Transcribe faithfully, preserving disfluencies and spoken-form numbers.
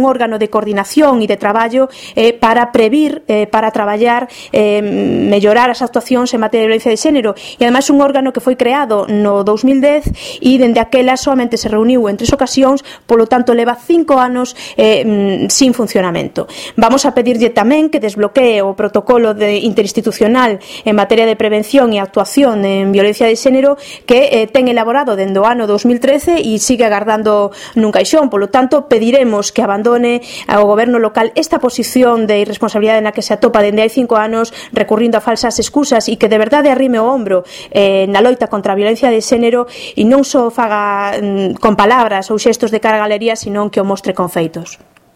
un órgano de coordinación e de traballo eh, para previr, eh, para traballar, eh, mellorar as actuacións en materia de violencia de xénero, e ademais un órgano que foi creado no dous mil dez e dende aquela solamente se reuniu en tres ocasións, polo tanto leva cinco anos eh, sin funcionamento. Vamos a pedirlle tamén que desbloquee o protocolo de interinstitucional en materia de prevención e actuación en violencia de xénero que eh, ten elaborado dende o ano dous mil trece e sigue agardando nun caixón. Polo tanto, pediremos que abandone ao goberno local esta posición de irresponsabilidade na que se atopa dende hai cinco anos recurrindo a falsas excusas e que de verdade arrime o ombro eh, na loita contra a violencia de xénero e non só faga mm, con palabras ou xestos de cara a galería, senón que o mostre con feitos.